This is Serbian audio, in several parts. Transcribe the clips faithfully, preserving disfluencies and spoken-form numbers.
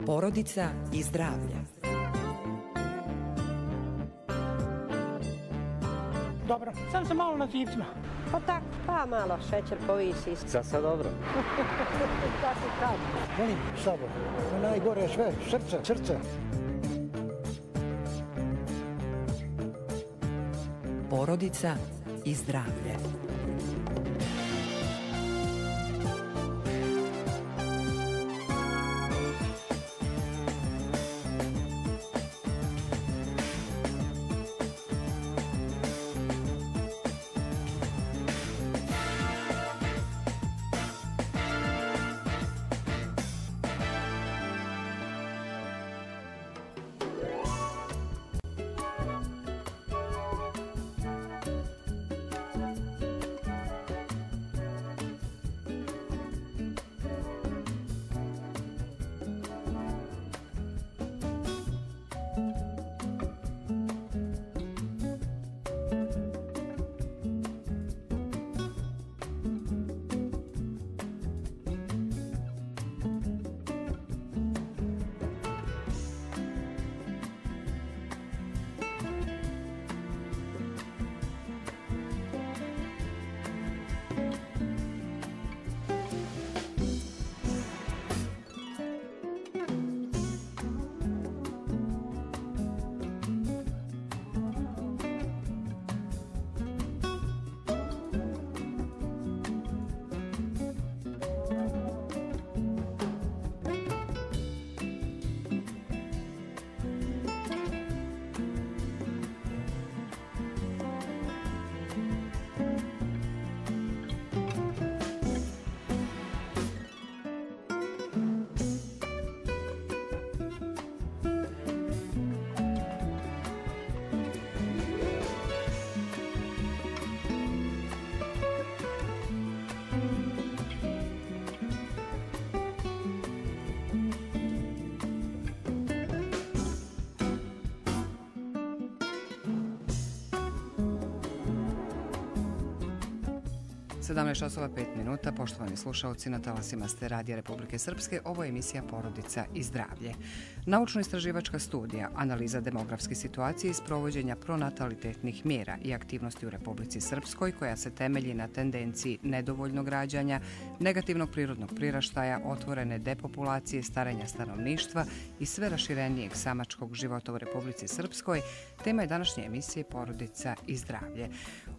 Porodica i zdravlje. Dobro, sam sam malo na živcima. Pa tako, pa malo šećer povisi. Za sad dobro. Tako kad. Molim, sabor. Najgore je sve, srce, srce. Porodica i zdravlje. sedamnaest časova pet minuta, poštovani slušalci, na talasima ste Radija Republike Srpske, ovo je emisija Porodica i zdravlje. Naučno-istraživačka studija, analiza demografske situacije i sprovođenja pronatalitetnih mjera i aktivnosti u Republici Srpskoj, koja se temelji na tendenciji nedovoljnog rađanja, negativnog prirodnog priraštaja, otvorene depopulacije, starenja stanovništva i sve raširenijeg samačkog života u Republici Srpskoj, tema je današnje emisije Porodica i zdravlje.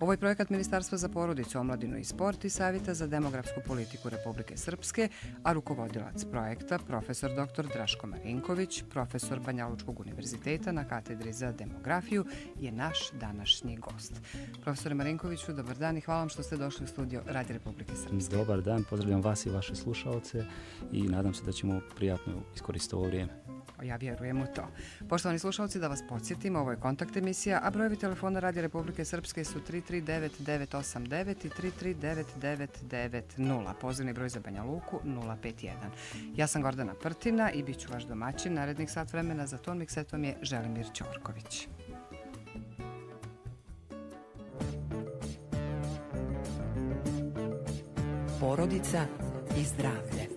Ovo je projekat Ministarstva za porodicu, omladinu i sport i Savjeta za demografsku politiku Republike Srpske, a rukovodilac projekta, profesor doktor Draško Marinković, profesor Banjalučkog univerziteta na katedri za demografiju, je naš današnji gost. Profesore Marinkoviću, dobar dan i hvala vam što ste došli u studio Radija Republike Srpske. Dobar dan, pozdravljam vas i vaše slušalce i nadam se da ćemo prijatno iskoristiti ovo vrijeme. Ja vjerujem u to. Poštovani slušalci, da vas podsjetim, ovo je kontakt emisija, a brojevi telefona Radija Republike Srpske su tri tri devet devet osam devet i tri tri devet devet devet nula. Pozivni broj za Banja Luku nula pet jedan. Ja sam Gordana Prtina i bit ću vaš domaćin. Narednih sat vremena za ton miksetom je Želimir Ćorković. Porodica i zdravlje.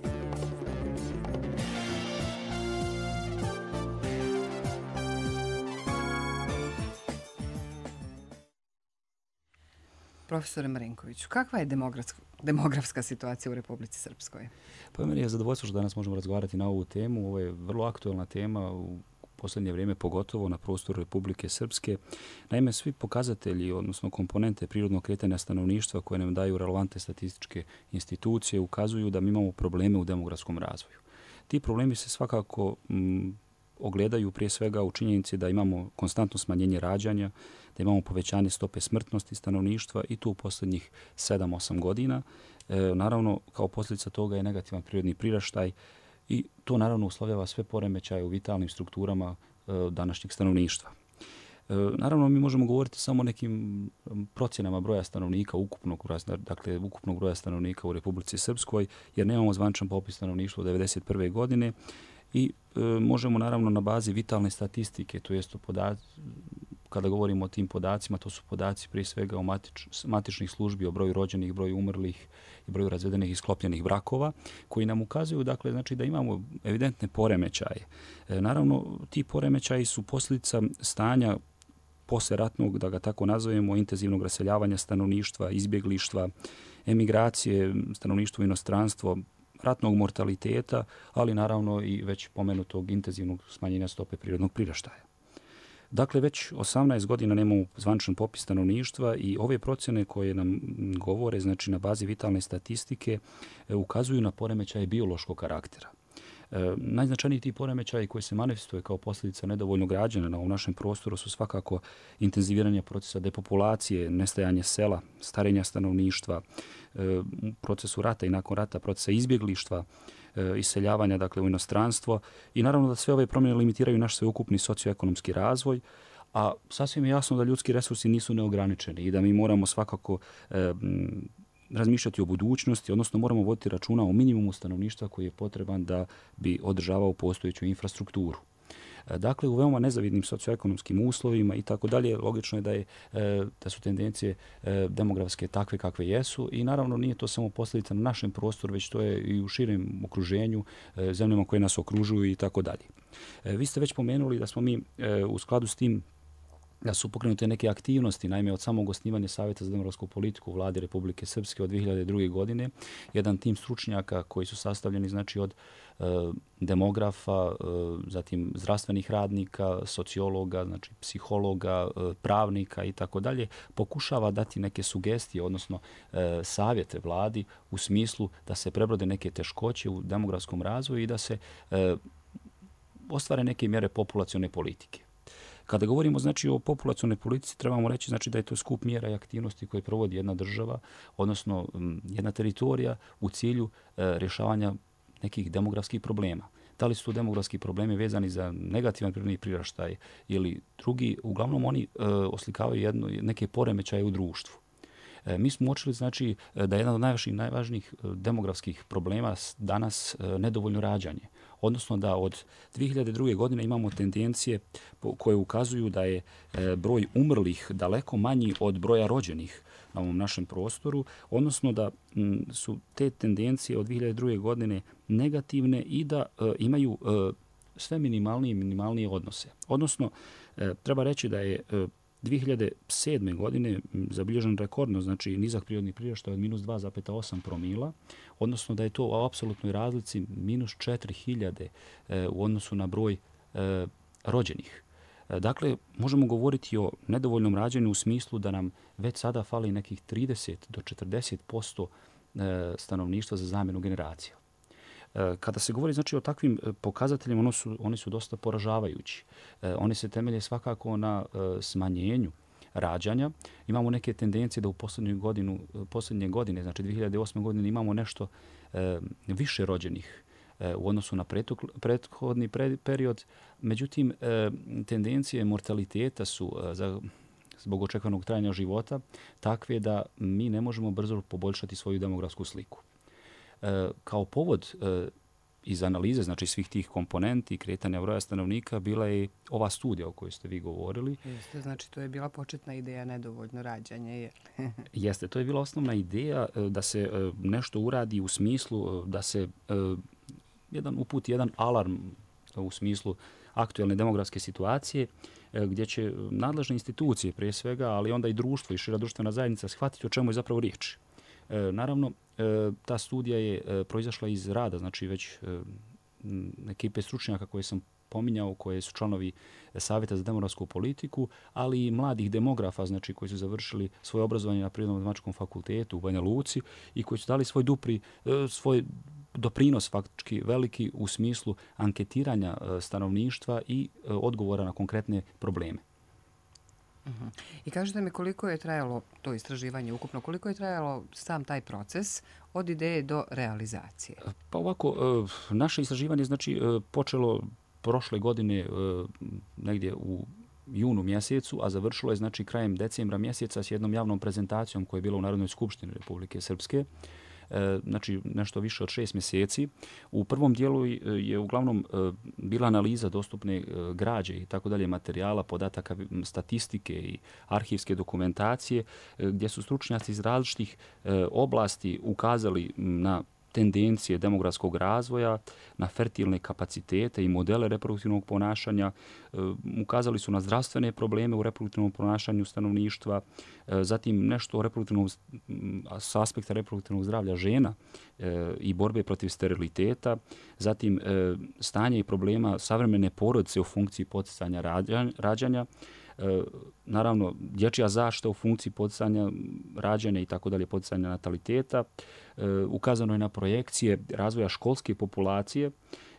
Profesore Marinkoviću, kakva je demografska, demografska situacija u Republici Srpskoj? Pa meni je zadovoljstvo što danas možemo razgovarati na ovu temu. Ovo je vrlo aktuelna tema u posljednje vrijeme, pogotovo na prostoru Republike Srpske. Naime, svi pokazatelji, odnosno komponente prirodnog kretanja stanovništva koje nam daju relevantne statističke institucije, ukazuju da mi imamo probleme u demografskom razvoju. Ti problemi se svakako m, ogledaju prije svega u činjenici da imamo konstantno smanjenje rađanja, da imamo povećanje stope smrtnosti stanovništva i to u posljednjih sedam osam godina. E, naravno, kao posljedica toga je negativan prirodni priraštaj i to naravno uslovljava sve poremećaje u vitalnim strukturama e, današnjeg stanovništva. E, naravno, mi možemo govoriti samo o nekim procjenama broja stanovnika, ukupnog broja, dakle, ukupnog broja stanovnika u Republici Srpskoj, jer nemamo zvaničan popis stanovništva od devedeset prve godine i e, možemo naravno na bazi vitalne statistike, to jest podaci kada govorimo o tim podacima, to su podaci prije svega o matič, matičnih službi, o broju rođenih, broju umrlih i broju razvedenih i sklopljenih brakova, koji nam ukazuju dakle, znači, da imamo evidentne poremećaje. E, naravno, ti poremećaji su posljedica stanja posleratnog, da ga tako nazovemo, intenzivnog raseljavanja stanovništva, izbjeglištva, emigracije, stanovništvo u inostranstvo, ratnog mortaliteta, ali naravno i već pomenutog intenzivnog smanjenja stope prirodnog priraštaja. Dakle, već osamnaest godina nemamo zvaničan popis stanovništva i ove procjene koje nam govore, znači na bazi vitalne statistike, ukazuju na poremećaje biološkog karaktera. E, najznačajniji ti poremećaji koji se manifestuje kao posljedica nedovoljnog rađanja na ovom našem prostoru su svakako intenziviranje procesa depopulacije, nestajanje sela, starenja stanovništva, e, procesu rata i nakon rata, procesa izbjeglištva, e, iseljavanja dakle, u inostranstvo i naravno da sve ove promjene limitiraju naš sveukupni socioekonomski razvoj, a sasvim je jasno da ljudski resursi nisu neograničeni i da mi moramo svakako e, razmišljati o budućnosti, odnosno moramo voditi računa o minimumu stanovništva koji je potreban da bi održavao postojeću infrastrukturu. Dakle, u veoma nezavidnim socioekonomskim uslovima i tako dalje, logično je da, je da su tendencije demografske takve kakve jesu i naravno nije to samo posljedica na našem prostoru, već to je i u širem okruženju, zemljama koje nas okružuju i tako dalje. Vi ste već pomenuli da smo mi u skladu s tim da su pokrenute neke aktivnosti, naime od samog osnivanja Savjeta za demografsku politiku u vladi Republike Srpske od dvije hiljade druge. godine, jedan tim stručnjaka koji su sastavljeni znači od e, demografa, e, zatim zdravstvenih radnika, sociologa, znači psihologa, e, pravnika i tako dalje, pokušava dati neke sugestije, odnosno e, savjete vladi u smislu da se prebrode neke teškoće u demografskom razvoju i da se e, ostvare neke mjere populacione politike. Kada govorimo znači o populacionoj politici, trebamo reći znači da je to skup mjera i aktivnosti koje provodi jedna država, odnosno jedna teritorija u cilju e, rješavanja nekih demografskih problema. Da li su to demografski problemi vezani za negativan prirodni priraštaj ili drugi, uglavnom oni e, oslikavaju jedno, neke poremećaje u društvu. E, mi smo uočili znači da je jedan od najvažnijih, najvažnijih demografskih problema danas e, nedovoljno rađanje. Odnosno da od dvije hiljade druge. godine imamo tendencije koje ukazuju da je broj umrlih daleko manji od broja rođenih na ovom našem prostoru, odnosno da su te tendencije od dvije hiljade druge. godine negativne i da imaju sve minimalnije i minimalnije odnose. Odnosno, treba reći da je dvije hiljade sedme. godine zabilježen rekordno, znači nizak prirodni priraštaj od minus dva zarez osam promila, odnosno da je to u apsolutnoj razlici minus četiri hiljade e, u odnosu na broj e, rođenih. E, dakle, možemo govoriti o nedovoljnom rađanju u smislu da nam već sada fali nekih trideset do četrdeset posto e, stanovništva za zamjenu generacija. Kada se govori znači, o takvim pokazateljima, oni su, oni su dosta poražavajući. Oni se temelje svakako na smanjenju rađanja. Imamo neke tendencije da u posljednju godinu, posljednje godine, znači dvije hiljade osme. godine, imamo nešto više rođenih u odnosu na prethodni period. Međutim, tendencije mortaliteta su za zbog očekivanog trajanja života takve da mi ne možemo brzo poboljšati svoju demografsku sliku. Kao povod iz analize znači svih tih komponenti kretanja broja stanovnika bila je ova studija o kojoj ste vi govorili. Jeste, znači to je bila početna ideja nedovoljno rađanje. Jeste, to je bila osnovna ideja da se nešto uradi u smislu da se jedan uputi jedan alarm u smislu aktuelne demografske situacije gdje će nadležne institucije prije svega, ali onda i društvo i šira društvena zajednica shvatiti o čemu je zapravo riječ. Naravno, ta studija je proizašla iz rada, znači već ekipe stručnjaka koje sam pominjao, koje su članovi Savjeta za demografsku politiku, ali i mladih demografa, znači koji su završili svoje obrazovanje na Prirodno-matematičkom fakultetu u Banja Luci i koji su dali svoj dupri, svoj doprinos faktički veliki u smislu anketiranja stanovništva i odgovora na konkretne probleme. Uh-huh. I kažete mi koliko je trajalo to istraživanje ukupno, koliko je trajalo sam taj proces od ideje do realizacije? Pa ovako, naše istraživanje znači počelo prošle godine negdje u junu mjesecu, a završilo je znači krajem decembra mjeseca s jednom javnom prezentacijom koja je bila u Narodnoj skupštini Republike Srpske. znači nešto više od šest mjeseci. U prvom dijelu je uglavnom bila analiza dostupne građe i tako dalje, materijala, podataka, statistike i arhivske dokumentacije, gdje su stručnjaci iz različitih oblasti ukazali na tendencije demografskog razvoja, na fertilne kapacitete i modele reproduktivnog ponašanja, ukazali su na zdravstvene probleme u reproduktivnom ponašanju stanovništva, zatim nešto o reproduktivnom, s aspekta reproduktivnog zdravlja žena i borbe protiv steriliteta, zatim stanje i problema savremene porodice u funkciji poticanja rađanja, naravno dječja zaštita u funkciji poticanja rađanja i tako dalje, poticanja nataliteta. Ukazano je na projekcije razvoja školske populacije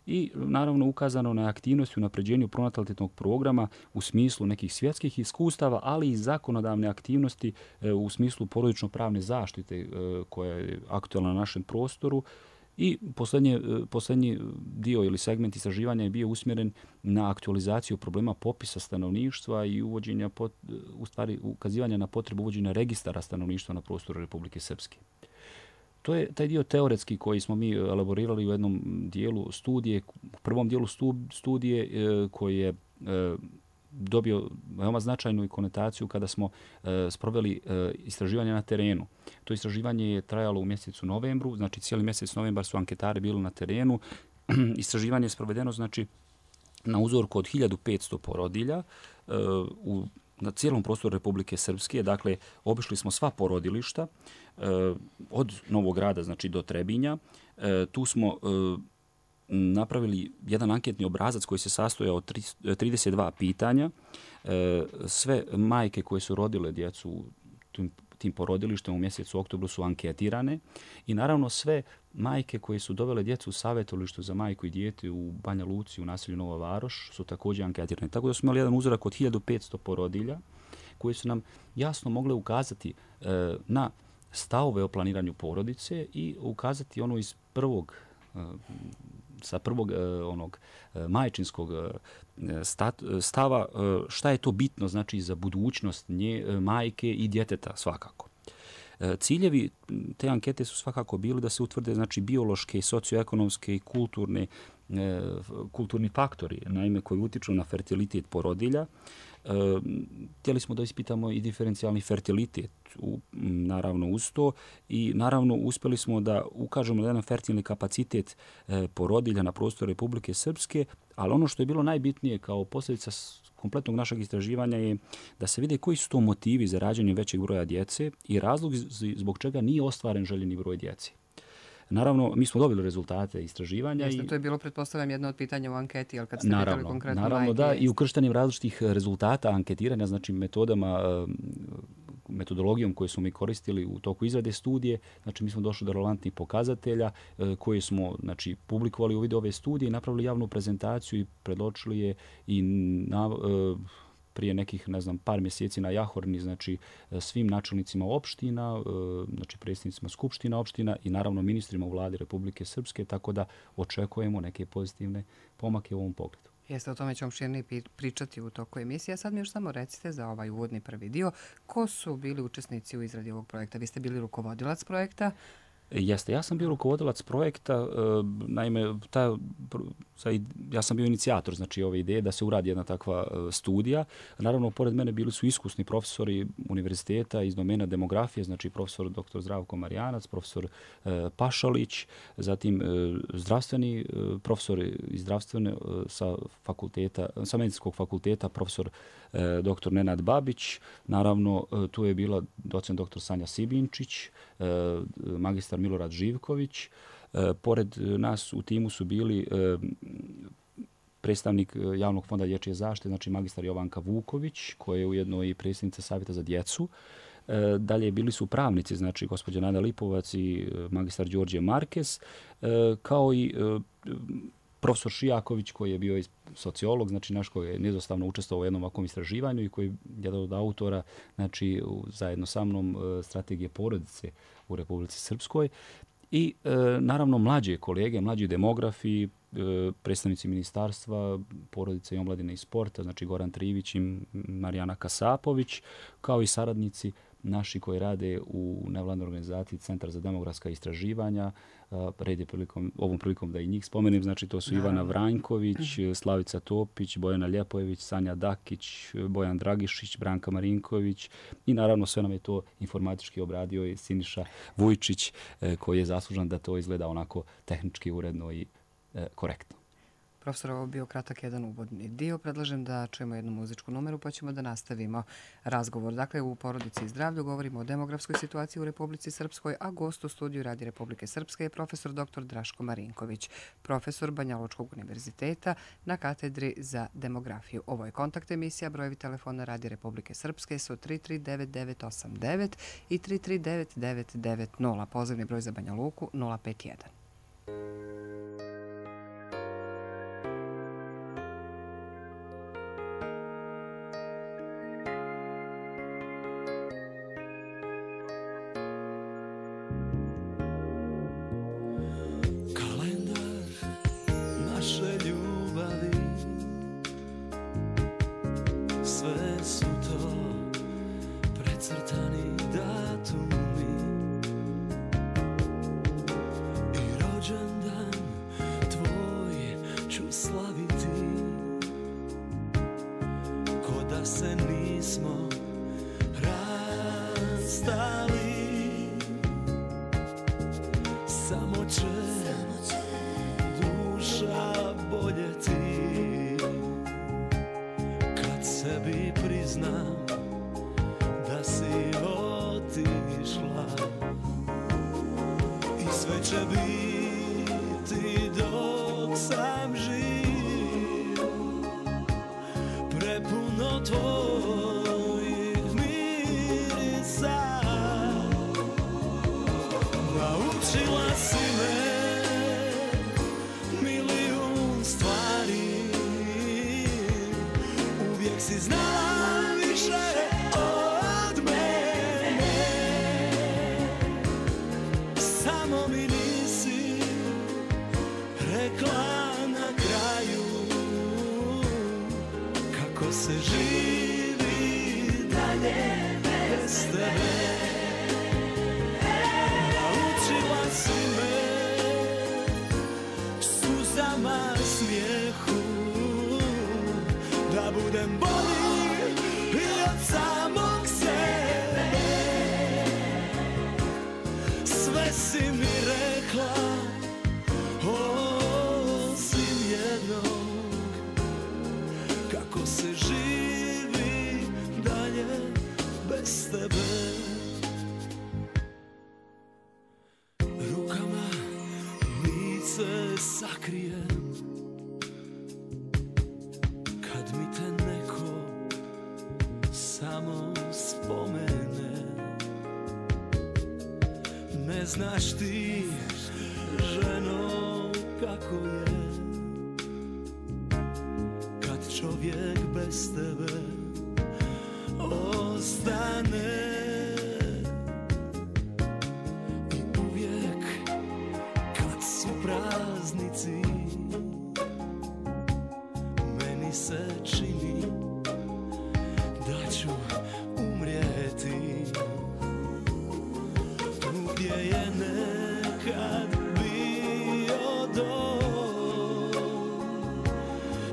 i naravno ukazano na aktivnosti u napređenju pronatalitetnog programa u smislu nekih svjetskih iskustava, ali i zakonodavne aktivnosti u smislu porodično-pravne zaštite koja je aktualna na našem prostoru. I posljednji, posljednji dio ili segment istraživanja je bio usmjeren na aktualizaciju problema popisa stanovništva i uvođenja, u stvari ukazivanja na potrebu uvođenja registara stanovništva na prostoru Republike Srpske. To je taj dio teoretski koji smo mi elaborirali u jednom dijelu studije, u prvom dijelu studije koji je dobio veoma značajnu konotaciju kada smo e, sproveli e, istraživanje na terenu. To istraživanje je trajalo u mjesecu novembru, znači cijeli mjesec novembar su anketari bili na terenu. Istraživanje je sprovedeno znači na uzorku od hiljadu petsto porodilja e, u, na cijelom prostoru Republike Srpske. Dakle, obišli smo sva porodilišta e, od Novog Grada znači do Trebinja. E, tu smo e, napravili jedan anketni obrazac koji se sastojao od trideset dva pitanja. Sve majke koje su rodile djecu u tim porodilištem u mjesecu oktobru su anketirane i naravno sve majke koje su dovele djecu u savjetovalištu za majku i dijete u Banja Luci u naselju Nova Varoš su također anketirane. Tako da smo imali jedan uzorak od hiljadu petsto porodilja koji su nam jasno mogle ukazati na stavove o planiranju porodice i ukazati ono iz prvog sa prvog onog majčinskog stava šta je to bitno znači za budućnost nje, majke i djeteta svakako. Ciljevi te ankete su svakako bili da se utvrde znači biološke, socioekonomske i kulturne kulturni faktori, naime koji utiču na fertilitet porodilja. Htjeli smo da ispitamo i diferencijalni fertilitet u, naravno uz to i naravno uspjeli smo da ukažemo na jedan fertilni kapacitet porodilja na prostoru Republike Srpske, ali ono što je bilo najbitnije kao posljedica kompletnog našeg istraživanja je da se vide koji su to motivi za rađanje većeg broja djece i razlog zbog čega nije ostvaren željeni broj djece. Naravno, mi smo dobili rezultate istraživanja. Jeste, i to je bilo, pretpostavljam, jedno od pitanja u anketi, ali kad ste naravno, pitali konkretno naravno, majke... da, i ukrštenim različitih rezultata anketiranja, znači metodama, metodologijom koju smo mi koristili u toku izrade studije, znači mi smo došli do relevantnih pokazatelja koje smo znači, publikovali u vidu ove studije i napravili javnu prezentaciju i predločili je i na... prije nekih, ne znam, par mjeseci na Jahorni, znači svim načelnicima opština, znači predsjednicima skupština opština i naravno ministrima u vladi Republike Srpske, tako da očekujemo neke pozitivne pomake u ovom pogledu. Jeste, o tome ćemo širnije pričati u toku emisije. A sad mi još samo recite za ovaj uvodni prvi dio, ko su bili učesnici u izradi ovog projekta? Vi ste bili rukovodilac projekta. Jeste, ja sam bio rukovodilac projekta, naime, ta, ja sam bio inicijator znači, ove ideje da se uradi jedna takva studija. Naravno, pored mene bili su iskusni profesori univerziteta iz domena demografije, znači profesor doktor Zdravko Marijanac, profesor Pašalić, zatim zdravstveni profesor iz zdravstvene sa fakulteta, sa medicinskog fakulteta, profesor doktor Nenad Babić, naravno tu je bila docent doktor Sanja Sibinčić, magistar Milorad Živković. Pored nas u timu su bili predstavnik Javnog fonda dječje zaštite, znači magistar Jovanka Vuković, koja je ujedno i predsjednica Savjeta za djecu. Dalje bili su pravnici, znači gospođa Nada Lipovac i magistar Đorđe Markes, kao i profesor Šijaković koji je bio sociolog, znači naš koji je nezostavno učestvovao u jednom ovakvom istraživanju i koji je jedan od autora, znači zajedno sa mnom strategije porodice u Republici Srpskoj. I e, naravno mlađe kolege, mlađi demografi, e, predstavnici ministarstva, porodice i omladine i sporta, znači Goran Trivić i Marijana Kasapović, kao i saradnici naši koji rade u nevladnoj organizaciji Centar za demografska istraživanja. Red je prilikom, ovom prilikom da i njih spomenem. Znači to su Ivana Vranjković, Slavica Topić, Bojana Ljepojević, Sanja Dakić, Bojan Dragišić, Branka Marinković i naravno sve nam je to informatički obradio i Siniša Vujčić koji je zaslužan da to izgleda onako tehnički uredno i korektno. Profesor, ovo bio kratak jedan uvodni dio. Predlažem da čujemo jednu muzičku numeru pa ćemo da nastavimo razgovor. Dakle, u Porodici i zdravlju govorimo o demografskoj situaciji u Republici Srpskoj, a gost u studiju Radija Republike Srpske je profesor doktor Draško Marinković, profesor Banjalučkog univerziteta na katedri za demografiju. Ovo je Kontakt emisija, brojevi telefona Radija Republike Srpske su tri tri devet devet osam devet i tri tri devet devet devet nula. Pozivni broj za Banja Luku nula pet jedan. Znaš ti, ženo, kako je kad čovjek bez tebe ostane i uvijek kad su praznici meni se čini da ću umrijeti. Gdje je nekad bio dom,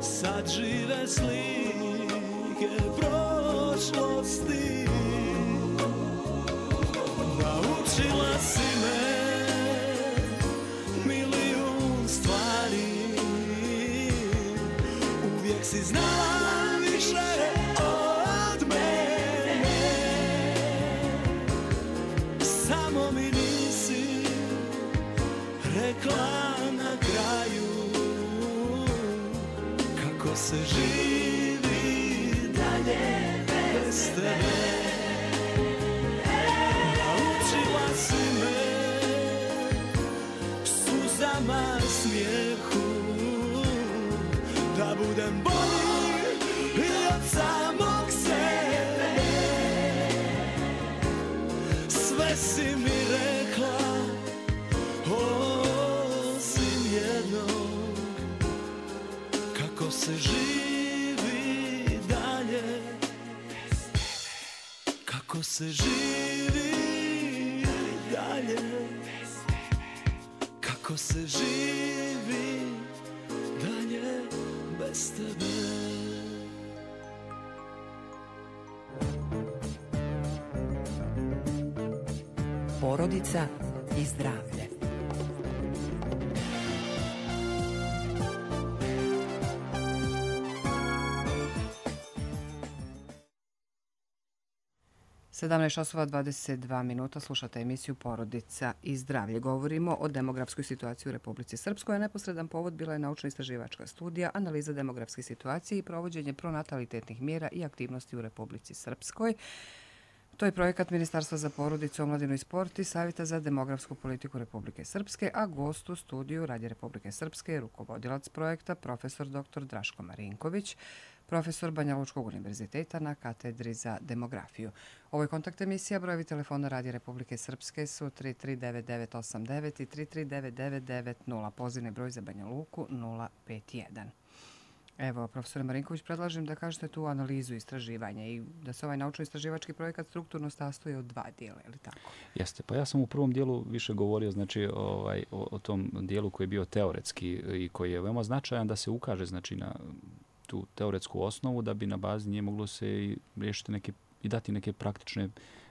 sad žive slike prošlosti. Naučila si me milijun stvari, uvijek si znala više od mene, samo mi nisi rekla na kraju kako se živi dalje bez tebe. Naučila si me suzama, smijehu, da budem bolji i od samog sebe. Sve si mi rekla osim jednog, kako se živi dalje, kako se živi. se živi dalje bez tebe. Porodica i zdravlje. sedamnaest časova dvadeset dva minuta, slušate emisiju Porodica i zdravlje. Govorimo o demografskoj situaciji u Republici Srpskoj, a neposredan povod bila je naučno-istraživačka studija, analiza demografske situacije i provođenje pronatalitetnih mjera i aktivnosti u Republici Srpskoj. To je projekat Ministarstva za porodicu, omladinu i sport i Savjeta za demografsku politiku Republike Srpske, a gost u studiju Radija Republike Srpske je rukovodilac projekta profesor doktor Draško Marinković, profesor Banja Lučkog univerziteta na katedri za demografiju. Ovo je kontakt emisija, brojevi telefona Radija Republike Srpske su tri tri devet devet osam devet i tri tri devet devet devet nula, pozivni broj za Banja Luku nula pet jedan. Evo, profesore Marinković, predlažem da kažete tu analizu istraživanja i da se ovaj naučno-istraživački projekat strukturno sastoji od dva dijela, je li tako? Jeste, pa ja sam u prvom dijelu više govorio znači, ovaj, o, o tom dijelu koji je bio teoretski i koji je veoma značajan da se ukaže znači, na tu teoretsku osnovu da bi na bazi nje moglo se i riješiti neke, i dati neke praktične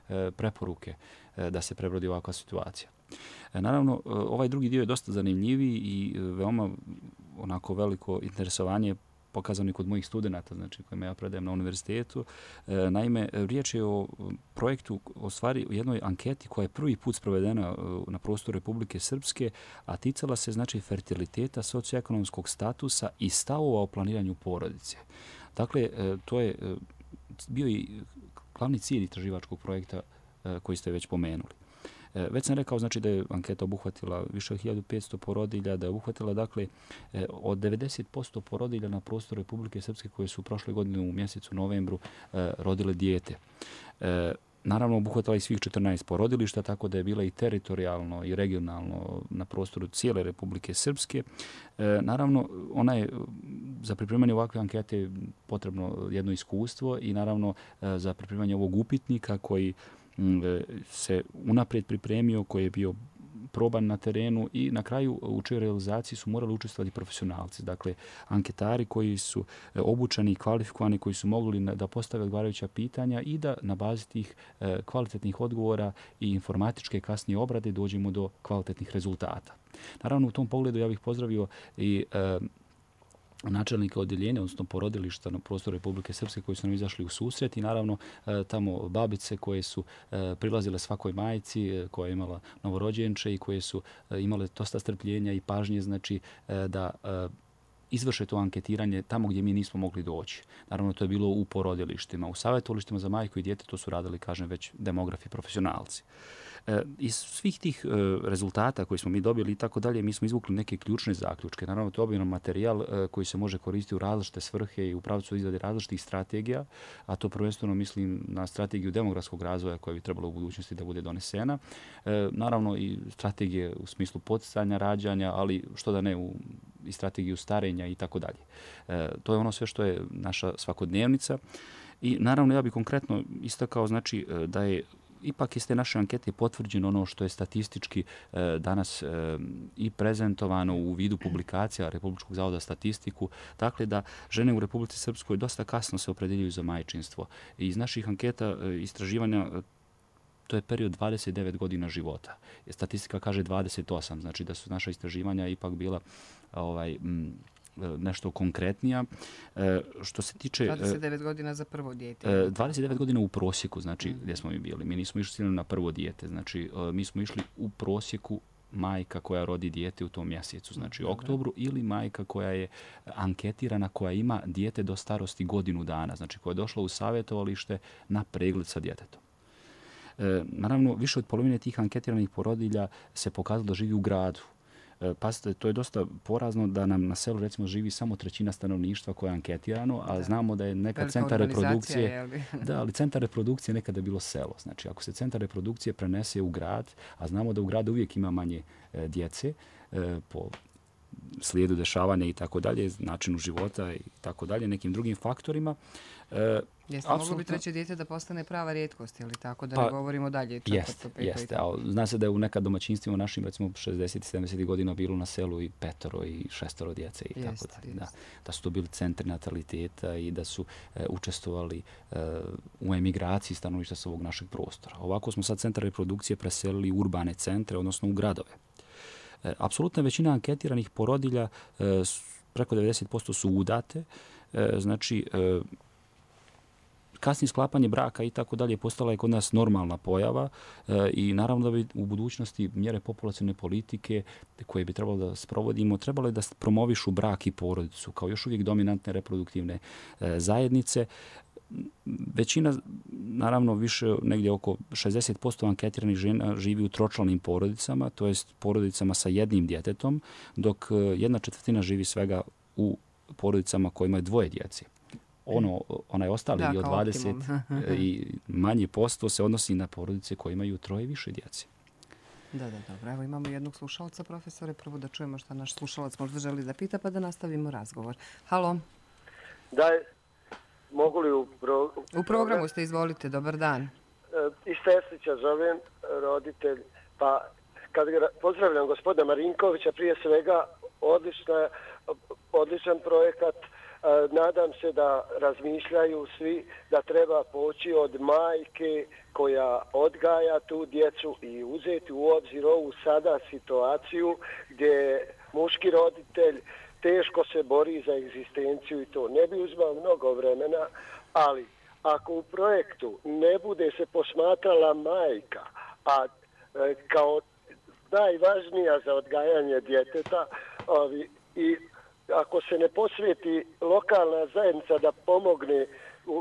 e, preporuke e, da se prebrodi ovakva situacija. E, naravno, ovaj drugi dio je dosta zanimljiviji i veoma onako veliko interesovanje pokazano i kod mojih studenata, znači kojima ja predajem na univerzitetu. E, naime, riječ je o projektu, o stvari, o jednoj anketi koja je prvi put sprovedena na prostoru Republike Srpske, a ticala se znači fertiliteta, socioekonomskog statusa i stavova o planiranju porodice. Dakle, e, to je e, bio i glavni cilj istraživačkog projekta e, koji ste već pomenuli. Već sam rekao znači, da je anketa obuhvatila više od hiljadu petsto porodilja, da je obuhvatila dakle, od devedeset posto porodilja na prostoru Republike Srpske koje su prošle godine u mjesecu novembru rodile dijete. Naravno, obuhvatila i svih četrnaest porodilišta, tako da je bila i teritorijalno i regionalno na prostoru cijele Republike Srpske. Naravno, ona je za pripremanje ovakve ankete potrebno jedno iskustvo i naravno za pripremanje ovog upitnika koji se unaprijed pripremio, koji je bio proban na terenu i na kraju u čijoj realizaciji su morali učestvovati profesionalci. Dakle, anketari koji su obučeni i kvalifikovani, koji su mogli da postave odgovarajuća pitanja i da na bazi tih kvalitetnih odgovora i informatičke kasnije obrade dođemo do kvalitetnih rezultata. Naravno, u tom pogledu ja bih pozdravio i načelnika odjeljenja, odnosno porodilišta na prostoru Republike Srpske koji su nam izašli u susret i naravno tamo babice koje su prilazile svakoj majci koja je imala novorođenče i koje su imale dosta strpljenja i pažnje znači da izvrše to anketiranje tamo gdje mi nismo mogli doći. Naravno, to je bilo u porodilištima. U savjetovalištima za majku i dijete to su radili, kažem, već demografi profesionalci. Iz svih tih rezultata koji smo mi dobili i tako dalje, mi smo izvukli neke ključne zaključke. Naravno, to je obilan materijal koji se može koristiti u različite svrhe i u pravcu izrade različitih strategija, a to prvenstveno mislim na strategiju demografskog razvoja koja bi trebala u budućnosti da bude donesena. Naravno, i strategije u smislu poticanja rađanja, ali što da ne u i strategiju starenja i tako dalje. To je ono sve što je naša svakodnevnica. I naravno, ja bih konkretno istakao znači da je ipak iz te naše ankete potvrđeno ono što je statistički e, danas e, i prezentovano u vidu publikacija Republičkog zavoda za statistiku, dakle da žene u Republici Srpskoj dosta kasno se opredeljuju za majčinstvo. I iz naših anketa e, istraživanja e, to je period dvadeset devet godina života. Statistika kaže dvadeset osam, znači da su naša istraživanja ipak bila ovaj, m, nešto konkretnija. E, što se tiče... dvadeset devet godina za prvo dijete. dvadeset devet godina u prosjeku, znači mm. gdje smo mi bili. Mi nismo išli na prvo dijete, znači mi smo išli u prosjeku majka koja rodi dijete u tom mjesecu, znači u oktobru, ili majka koja je anketirana, koja ima dijete do starosti godinu dana, znači koja je došla u savjetovalište na pregled sa djetetom. E, naravno, više od polovine tih anketiranih porodilja se pokazalo da živi u gradu. Pazite, to je dosta porazno da nam na selu recimo živi samo trećina stanovništva koja je anketirano, a da. Znamo da je nekad Velika centar reprodukcije, da, ali centar reprodukcije nekada je bilo selo. Znači, ako se centar reprodukcije prenese u grad, a znamo da u gradu uvijek ima manje e, djece e, po slijedu dešavanja i tako dalje, načinu života i tako dalje, nekim drugim faktorima. E, Jeste moglo bi treće dijete da postane prava rijetkost, ili tako, da pa, ne govorimo dalje? Jeste, jeste. A zna se da je u nekad domaćinstvima našim, recimo šezdesetih sedamdesetih godina bilo na selu i petoro i šestoro djece i jest, tako dalje. Jest. Da, da su to bili centri nataliteta i da su e, učestvovali e, u emigraciji stanovništva sa ovog našeg prostora. Ovako smo sad centar reprodukcije preselili u urbane centre, odnosno u gradove. E, apsolutna većina anketiranih porodilja, e, preko devedeset posto su udate, e, znači e, kasnije sklapanje braka i tako dalje postala je kod nas normalna pojava e, i naravno da bi u budućnosti mjere populacione politike koje bi trebalo da sprovodimo, trebalo je da promovišu brak i porodicu kao još uvijek dominantne reproduktivne e, zajednice. Većina, naravno više negdje oko šezdeset posto anketiranih žena živi u tročlanim porodicama, to jest porodicama sa jednim djetetom, dok jedna četvrtina živi svega u porodicama koje imaju dvoje djece. Ono, onaj ostali da, od dvadeset i manje posto se odnosi na porodice koje imaju troje i više djece. Da, da, dobro. Evo imamo jednog slušalca, profesore. Prvo da čujemo šta naš slušalac možda želi da pita, pa da nastavimo razgovor. Halo. Da, mogu li u, pro... u programu ste, izvolite, dobar dan. E, iz Teslića zovem, roditelj, pa kad pozdravljam gospodina Marinkovića, prije svega odlična, odličan projekat. Nadam se da razmišljaju svi da treba poći od majke koja odgaja tu djecu i uzeti u obzir ovu sada situaciju gdje muški roditelj teško se bori za egzistenciju i to. Ne bi uzmao mnogo vremena, ali ako u projektu ne bude se posmatrala majka, a kao najvažnija za odgajanje djeteta ovi, i ako se ne posvijeti lokalna zajednica da pomogne u,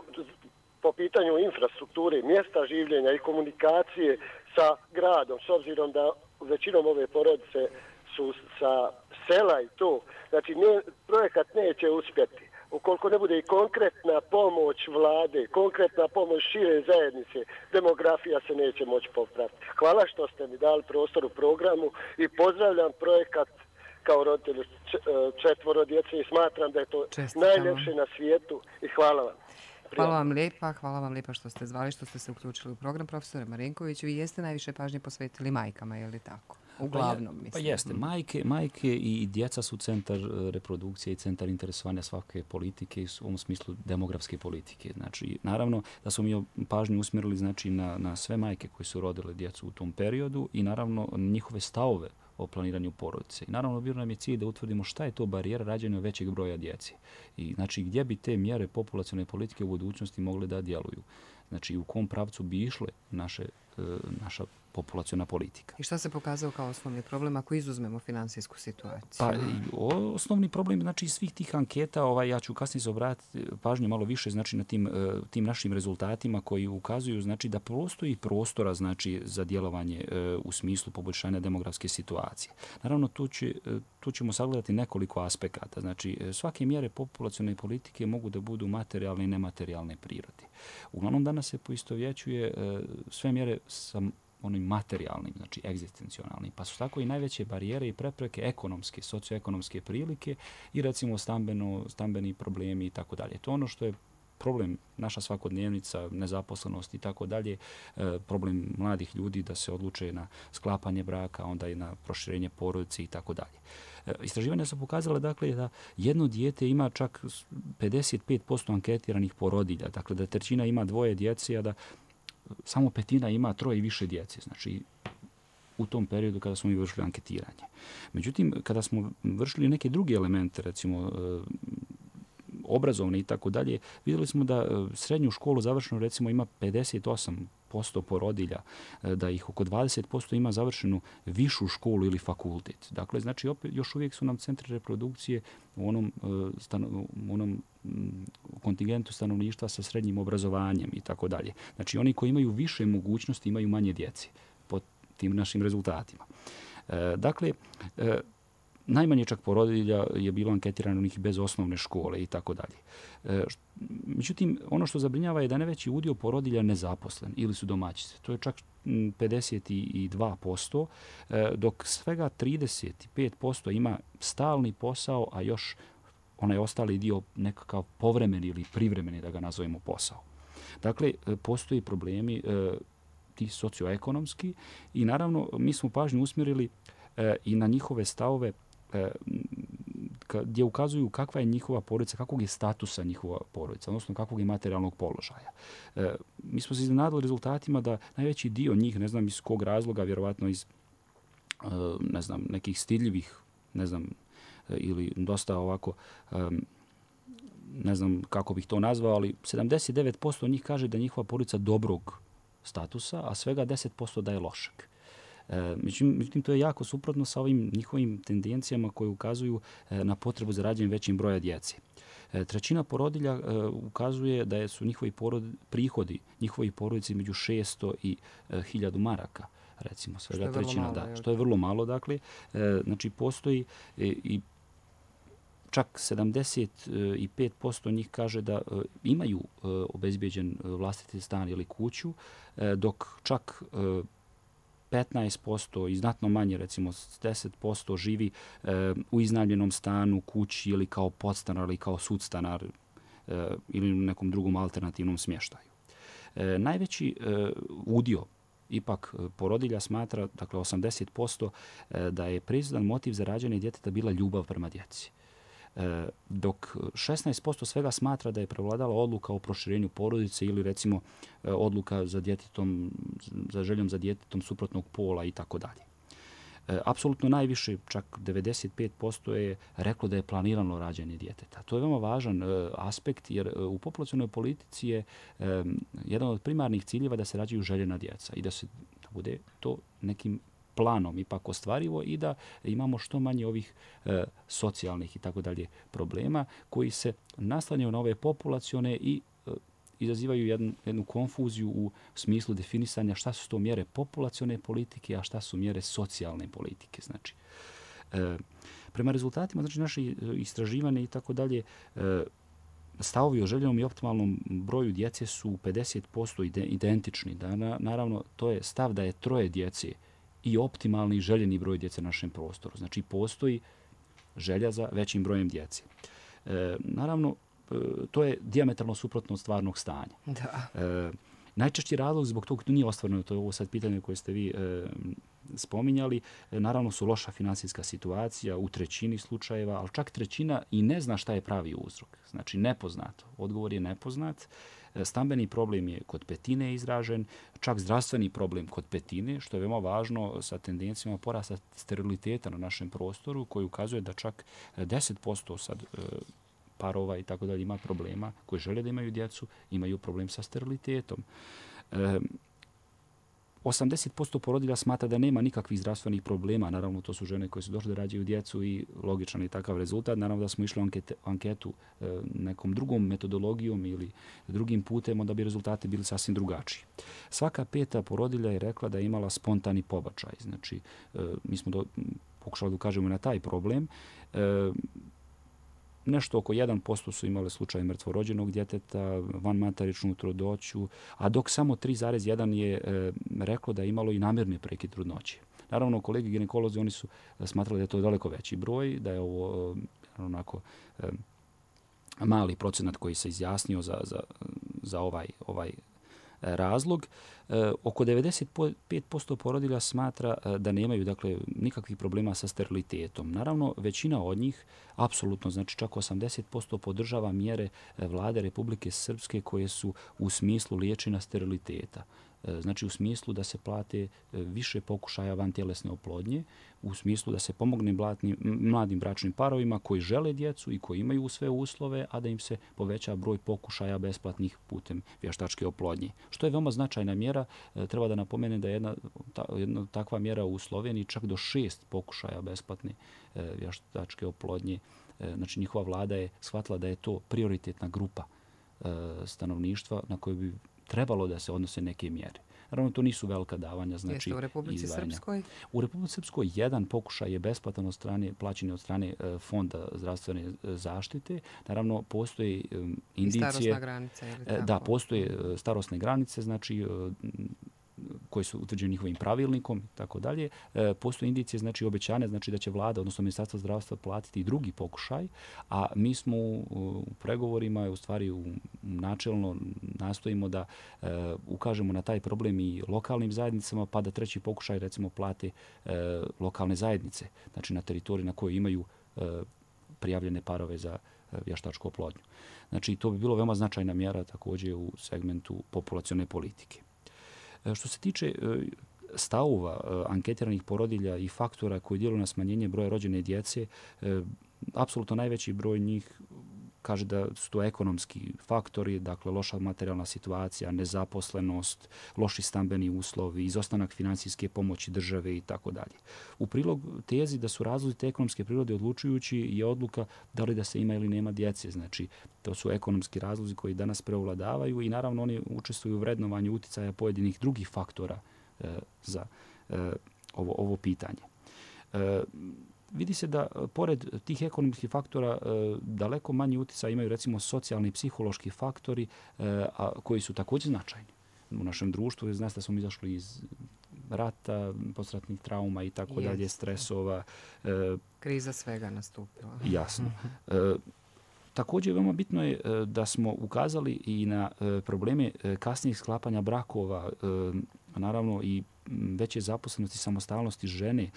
po pitanju infrastrukture, mjesta življenja i komunikacije sa gradom, s obzirom da većinom ove porodice su sa sela i to, znači ne, projekat neće uspjeti. Ukoliko ne bude i konkretna pomoć vlade, konkretna pomoć šire zajednice, demografija se neće moći popraviti. Hvala što ste mi dali prostor u programu i pozdravljam projekat kao roditelj četvoro djece i smatram da je to Čestitamo. Najljepše na svijetu i hvala vam. Hvala vam lijepa, hvala vam lijepa što ste zvali, što ste se uključili u program, profesore Marinković. Vi jeste najviše pažnje posvetili majkama, je li tako? Uglavnom, mislim. Pa jeste. Majke, majke i djeca su centar reprodukcije i centar interesovanja svake politike u ovom smislu demografske politike. Znači, naravno da smo mi pažnju usmjerili znači, na, na sve majke koje su rodile djecu u tom periodu i naravno njihove stavove o planiranju porodice. I naravno, bio nam je cilj da utvrdimo šta je to barijera rađanja većeg broja djece. I znači, gdje bi te mjere populacione politike u budućnosti mogle da djeluju. Znači, u kom pravcu bi išle naše, e, naša populaciona politika. I šta se pokazao kao osnovni problem ako izuzmemo finansijsku situaciju? Pa, o, osnovni problem znači svih tih anketa, ovaj, ja ću kasnije se obratiti pažnju malo više znači na tim, tim našim rezultatima koji ukazuju znači da postoji prostora znači za djelovanje u smislu poboljšanja demografske situacije. Naravno, tu, će, tu ćemo sagledati nekoliko aspekata. Znači, svake mjere populacione politike mogu da budu materijalne i nematerijalne prirode. Uglavnom, danas se poistovjećuje sve mjere sa onim materijalnim, znači egzistencionalnim, pa su tako i najveće barijere i prepreke ekonomske, socioekonomske prilike i recimo stambeno, stambeni problemi i tako dalje. To je ono što je problem naša svakodnevnica, nezaposlenost i tako dalje, problem mladih ljudi da se odluče na sklapanje braka, onda i na proširenje porodice i tako dalje. Istraživanja su pokazale dakle, da jedno dijete ima čak pedeset pet posto anketiranih porodilja, dakle da trećina ima dvoje djece, a da samo petina ima troje i više djece, znači u tom periodu kada smo mi vršili anketiranje. Međutim, kada smo vršili neke druge elemente, recimo obrazovne i tako dalje, vidjeli smo da srednju školu završeno recimo ima pedeset osam posto porodilja, da ih oko dvadeset posto ima završenu višu školu ili fakultet. Dakle, znači opet, još uvijek su nam centri reprodukcije u onom, u onom kontingentu stanovništva sa srednjim obrazovanjem i tako dalje. Znači, oni koji imaju više mogućnosti imaju manje djece po tim našim rezultatima. Dakle, najmanje čak porodilja je bilo anketirano onih bez osnovne škole i tako dalje. Međutim, ono što zabrinjava je da najveći udio porodilja nezaposlen ili su domaćice. To je čak pedeset dva posto, dok svega trideset pet posto ima stalni posao, a još onaj ostali dio nekakav povremeni ili privremeni, da ga nazovemo, posao. Dakle, postoji problemi ti socioekonomski i naravno mi smo pažnju usmjerili i na njihove stavove gdje ukazuju kakva je njihova porodica, kakvog je statusa njihova porodica, odnosno kakvog je materijalnog položaja. Mi smo se iznenadili rezultatima da najveći dio njih, ne znam iz kog razloga, vjerovatno iz ne znam, nekih stidljivih, ne znam, ili dosta ovako, ne znam kako bih to nazvao, ali sedamdeset devet posto njih kaže da je njihova porodica dobrog statusa, a svega deset posto da je lošeg. Međutim, to je jako suprotno sa ovim njihovim tendencijama koje ukazuju na potrebu za rađenjem većim broja djece. Trećina porodilja ukazuje da su njihovi porod, prihodi njihovi porodici među šesto i hiljadu maraka, recimo, svega trećina, malo, da, što je vrlo malo, dakle. Znači, postoji i čak sedamdeset pet posto njih kaže da imaju obezbeđen vlastiti stan ili kuću, dok čak petnaest posto i znatno manje, recimo deset posto živi u iznajmljenom stanu, kući ili kao podstanar ili kao sudstanar ili nekom drugom alternativnom smještaju. Najveći udio ipak porodilja smatra, dakle osamdeset posto, da je prisutan motiv za rađanje djeteta bila ljubav prema djeci. Dok šesnaest posto svega smatra da je prevladala odluka o proširenju porodice ili recimo odluka za djetetom, za željom za djetetom suprotnog pola i tako dalje. Apsolutno najviše, čak devedeset pet posto je reklo da je planirano rađanje djeteta. To je veoma važan aspekt jer u populacionoj politici je jedan od primarnih ciljeva da se rađaju željena djeca i da se da bude to nekim planom ipak ostvarivo i da imamo što manje ovih e, socijalnih i tako dalje problema koji se naslanjaju na ove populacione i e, izazivaju jednu, jednu konfuziju u smislu definisanja šta su to mjere populacione politike, a šta su mjere socijalne politike. Znači, e, prema rezultatima, znači naše istraživanje i tako dalje, e, stavovi o željenom i optimalnom broju djece su pedeset posto identični. Da, na, naravno, to je stav da je troje djece i optimalni i željeni broj djece na našem prostoru. Znači, postoji želja za većim brojem djece. E, naravno, e, to je dijametralno suprotno od stvarnog stanja. Da. E, najčešći razlog zbog toga nije ostvareno, to je ovo sad pitanje koje ste vi e, spominjali, e, naravno su loša finansijska situacija u trećini slučajeva, ali čak trećina i ne zna šta je pravi uzrok. Znači, nepoznato. Odgovor je nepoznat. Stambeni problem je kod petine izražen, čak zdravstveni problem kod petine, što je veoma važno sa tendencijama porasta steriliteta na našem prostoru, koji ukazuje da čak deset posto sad parova i tako dalje ima problema koji žele da imaju djecu, imaju problem sa sterilitetom. osamdeset posto porodilja smatra da nema nikakvih zdravstvenih problema. Naravno, to su žene koje su došle da rađaju djecu i logičan je takav rezultat. Naravno da smo išli u ankete, anketu e, nekom drugom metodologijom ili drugim putem, onda bi rezultati bili sasvim drugačiji. Svaka peta porodilja je rekla da je imala spontani pobačaj. Znači, e, mi smo do, pokušali da ukažemo na taj problem. E, Nešto oko jedan posto su imale slučaj mrtvorođenog djeteta, vanmateričnu trudnoću, a dok samo tri zarez jedan je e, reklo da je imalo i namjerni prekid trudnoće. Naravno, kolegi ginekolozi oni su smatrali da je to daleko veći broj, da je ovo e, onako e, mali procenat koji se izjasnio za, za, za ovaj, ovaj razlog. E, oko devedeset pet posto porodilja smatra e, da nemaju dakle nikakvih problema sa sterilitetom. Naravno, većina od njih, apsolutno, znači čak osamdeset posto podržava mjere Vlade Republike Srpske koje su u smislu liječenja steriliteta. E, znači u smislu da se plate više pokušaja vantjelesne oplodnje, u smislu da se pomogne blatnim, mladim bračnim parovima koji žele djecu i koji imaju sve uslove, a da im se poveća broj pokušaja besplatnih putem vještačke oplodnje. Što je veoma značajna mjera. E, treba da napomene da je jedna, ta, jedna takva mjera u Sloveniji čak do šest pokušaja besplatne e, vještačke oplodnje. E, znači njihova vlada je shvatila da je to prioritetna grupa e, stanovništva na koju bi trebalo da se odnose neke mjere. Naravno, to nisu velika davanja, znači Jeste u Republici izdvajanja. Srpskoj? U Republici Srpskoj jedan pokušaj je besplatan od strane, plaćen od strane e, Fonda zdravstvene e, zaštite. Naravno, postoje e, indicije... I starosna granica, ili tako? Da, postoje e, starosne granice, znači e, koji su utvrđeni njihovim pravilnikom i tako dalje. E, postoje indicije, znači obećane, znači da će vlada, odnosno Ministarstvo zdravstva platiti i drugi pokušaj, a mi smo u, u pregovorima, u stvari u, načelno nastojimo da e, ukažemo na taj problem i lokalnim zajednicama, pa da treći pokušaj recimo plate e, lokalne zajednice, znači na teritoriji na kojoj imaju e, prijavljene parove za e, vještačku oplodnju. Znači to bi bilo veoma značajna mjera također u segmentu populacione politike. Što se tiče stavova anketiranih porodilja i faktora koji djeluju na smanjenje broja rođene djece, apsolutno najveći broj njih kaže da su to ekonomski faktori, dakle loša materijalna situacija, nezaposlenost, loši stambeni uslovi, izostanak finansijske pomoći države i tako dalje. U prilog tezi da su razlozi te ekonomske prirode odlučujući je odluka da li da se ima ili nema djece. Znači, to su ekonomski razlozi koji danas preovladavaju i naravno oni učestvuju u vrednovanju uticaja pojedinih drugih faktora e, za e, ovo, ovo pitanje. E, Vidi se da, pored tih ekonomskih faktora, daleko manji utjecaj imaju, recimo, socijalni i psihološki faktori, a koji su također značajni u našem društvu. Znači da smo izašli iz rata, postratnih trauma i tako dalje, stresova. Kriza svega nastupila. Jasno. Također, veoma bitno je da smo ukazali i na probleme kasnijih sklapanja brakova, naravno i veće zaposlenosti, samostalnosti žene.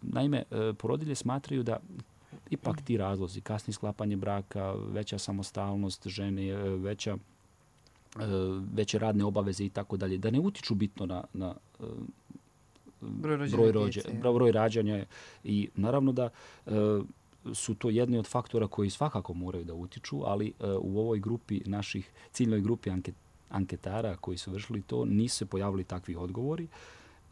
Naime, porodilje smatraju da ipak ti razlozi, kasnije sklapanje braka, veća samostalnost žene, veća, veće radne obaveze i tako dalje, da ne utiču bitno na, na broj, broj, rođe, broj rađanja. I naravno da su to jedni od faktora koji svakako moraju da utiču, ali u ovoj grupi naših, ciljnoj grupi anket, anketara koji su vršili to, nisu se pojavili takvi odgovori.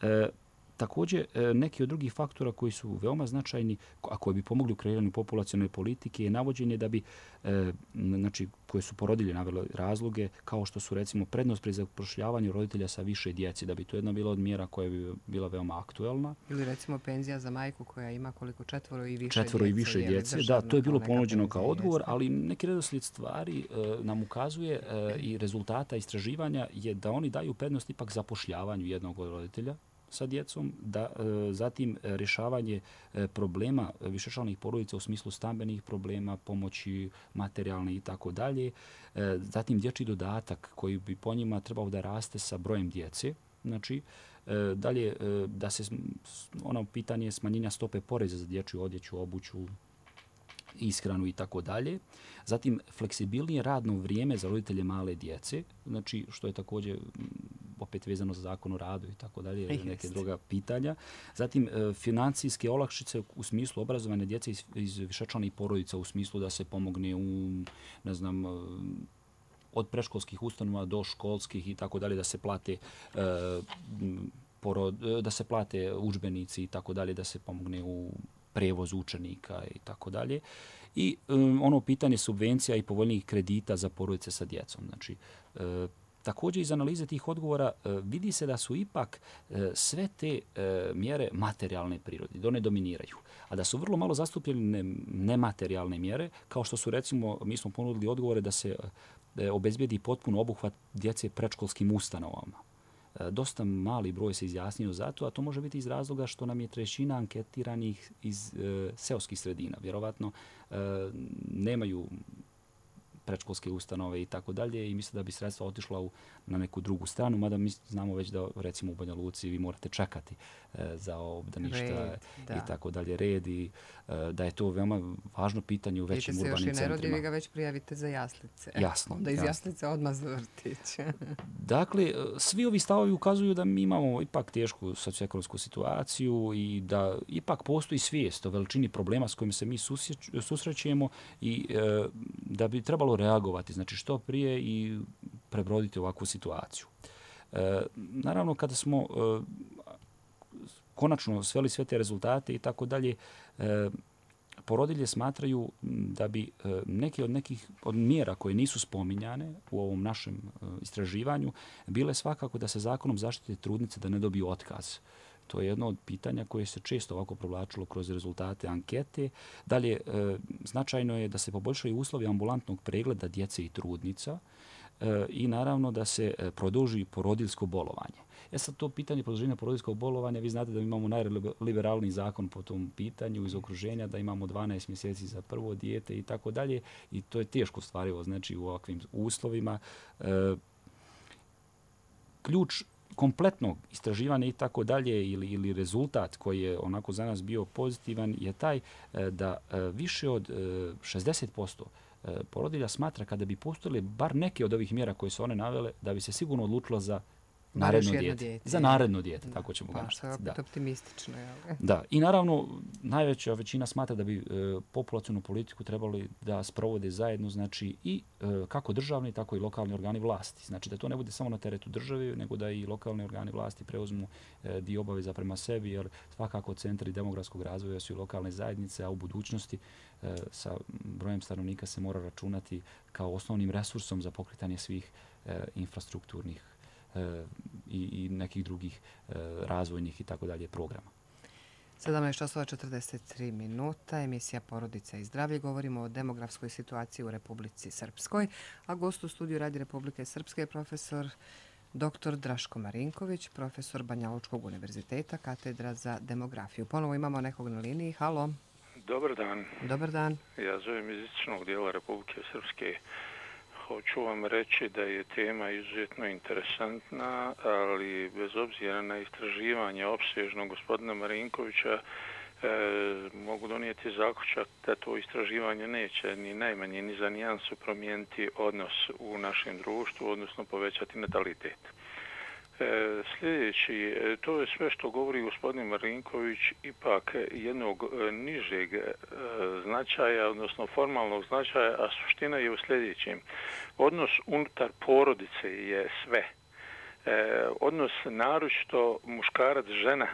E, također, neki od drugih faktora koji su veoma značajni, a koji bi pomogli u kreiranju populacione politike, je navođenje da bi, e, znači, koje su porodilje navele razloge, kao što su, recimo, prednost pri zapošljavanju roditelja sa više djece, da bi to jedna bila od mjera koja bi bila veoma aktuelna. Ili, recimo, penzija za majku koja ima koliko četvoro i više četvoro djece. i više djece, da, to je bilo ponuđeno kao odgovor, jeste. Ali neki redoslijed stvari e, nam ukazuje e, i rezultata istraživanja je da oni daju prednost ipak zapošljavanju jednog od roditelja sa djecom, da e, zatim rješavanje e, problema višečlanih porodica u smislu stambenih problema, pomoći materijalne i tako dalje. E, zatim dječji dodatak koji bi po njima trebao da raste sa brojem djece. Znači, e, dalje e, da se ono pitanje smanjenja stope poreza za dječju odjeću, obuću, ishranu i tako dalje. Zatim, fleksibilnije radno vrijeme za roditelje male djece, znači što je također opet vezano za zakon o radu i tako dalje, neke druga pitanja. Zatim, financijske olakšice u smislu obrazovanja djece iz, iz višečlanih porodica, u smislu da se pomogne u, ne znam, od predškolskih ustanova do školskih i tako dalje, da se plate e, porod, da se plate udžbenici i tako dalje, da se pomogne u prevoz učenika i tako dalje. I um, ono pitanje subvencija i povoljnijih kredita za porodice sa djecom. Znači, e, također iz analize tih odgovora e, vidi se da su ipak e, sve te e, mjere materijalne prirode, da one dominiraju. A da su vrlo malo zastupljene nematerijalne mjere, kao što su, recimo, mi smo ponudili odgovore da se e, obezbijedi potpuno obuhvat djece predškolskim ustanovama. Dosta mali broj se izjasnio za to, a to može biti iz razloga što nam je trećina anketiranih iz e, seoskih sredina. Vjerovatno e, nemaju predškolske ustanove i tako dalje i misle da bi sredstva otišla u, na neku drugu stranu, mada mi znamo već da, recimo, u Banja Luci vi morate čekati e, za obdaništa i tako dalje, red i e, da je to veoma važno pitanje u većim urbanim centrima. Vidite se još i ne rodi, vi ga već prijavite za jaslice. Jasno. Da iz jasno. jaslice odmah za vrtić. Dakle, svi ovi stavovi ukazuju da mi imamo ipak tešku socioekonomsku situaciju i da ipak postoji svijest o veličini problema s kojim se mi susrećemo i e, da bi trebalo reagovati, znači što prije i prebroditi ovakvu situaciju. E, naravno, kada smo e, konačno sveli sve te rezultate i tako dalje, e, porodilje smatraju da bi neke od nekih od mjera koje nisu spominjane u ovom našem istraživanju bile svakako da se zakonom zaštite trudnice da ne dobiju otkaz. To je jedno od pitanja koje se često ovako provlačilo kroz rezultate ankete. Dalje, značajno je da se poboljšaju uslovi ambulantnog pregleda djece i trudnica i naravno da se produži porodiljsko bolovanje. E sad, to pitanje produženja porodiljskog bolovanja, vi znate da imamo najliberalniji zakon po tom pitanju iz okruženja, da imamo dvanaest mjeseci za prvo dijete i tako dalje, i to je teško ostvarivo, znači u ovakvim uslovima. Ključ kompletnog istraživanja i tako dalje ili, ili rezultat koji je onako za nas bio pozitivan je taj da više od šezdeset posto porodilja smatra kada bi postojile bar neke od ovih mjera koje su one navele da bi se sigurno odlučilo za naredno dijete. dijete. Za naredno dijete, tako ćemo ga naštiti. Pa, što je opet optimistično. Jel? Da, i naravno najveća većina smatra da bi e, populacionu politiku trebali da sprovode zajedno, znači i e, kako državni, tako i lokalni organi vlasti. Znači da to ne bude samo na teretu države, nego da i lokalni organi vlasti preuzmu e, dio obaveza prema sebi, jer svakako centri demografskog razvoja su i lokalne zajednice, a u budućnosti e, sa brojem stanovnika se mora računati kao osnovnim resursom za pokretanje svih e, infrastrukturnih I, i nekih drugih e, razvojnih i tako dalje programa. sedamnaest časova četrdeset tri minuta, emisija Porodica i zdravlje. Govorimo o demografskoj situaciji u Republici Srpskoj, a gost u studiju Radi Republike Srpske je profesor doktor Draško Marinković, profesor Banjalučkog univerziteta, katedra za demografiju. Ponovo imamo nekog na liniji. Halo. Dobar dan. Dobar dan. Ja zovem iz istočnog dijela Republike Srpske. Hoću vam reći da je tema izuzetno interesantna, ali bez obzira na istraživanje opsežnog gospodina Marinkovića e, mogu donijeti zaključak da to istraživanje neće ni najmanje ni za nijansu promijeniti odnos u našem društvu, odnosno povećati natalitet. E, sljedeći, to je sve što govori gospodin Marinković ipak jednog e, nižeg e, značaja, odnosno formalnog značaja, a suština je u sljedećem. Odnos unutar porodice je sve. E, odnos naročito muškarac-žena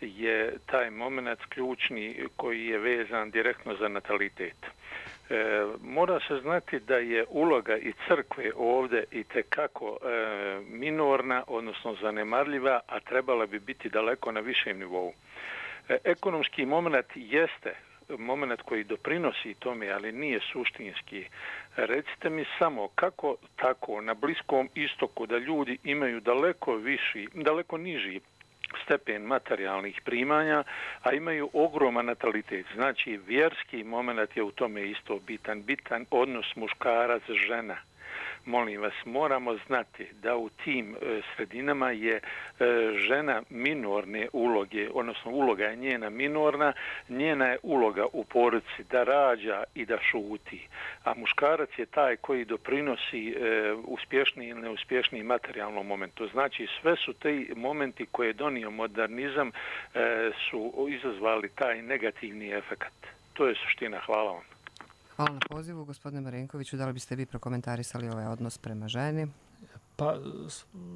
je taj moment ključni koji je vezan direktno za natalitet. E, mora se znati da je uloga i crkve ovdje i tekako e, minorna, odnosno zanemarljiva, a trebala bi biti daleko na višem nivou. E, ekonomski moment jeste moment koji doprinosi tome, ali nije suštinski. Recite mi samo kako tako na Bliskom istoku da ljudi imaju daleko viši, daleko niži stepen materijalnih primanja, a imaju ogroman natalitet. Znači, vjerski moment je u tome isto bitan. Bitan odnos muškarac-žena. Molim vas, moramo znati da u tim e, sredinama je e, žena minorne uloge, odnosno uloga je njena minorna, njena je uloga u porodici da rađa i da šuti. A muškarac je taj koji doprinosi e, uspješniji ili neuspješniji materijalnom momentu. Znači, sve su te momenti koje je donio modernizam e, su izazvali taj negativni efekat. To je suština. Hvala vam. Hvala na pozivu. Gospodine Marinkoviću, da li biste vi prokomentarisali ovaj odnos prema ženi? Pa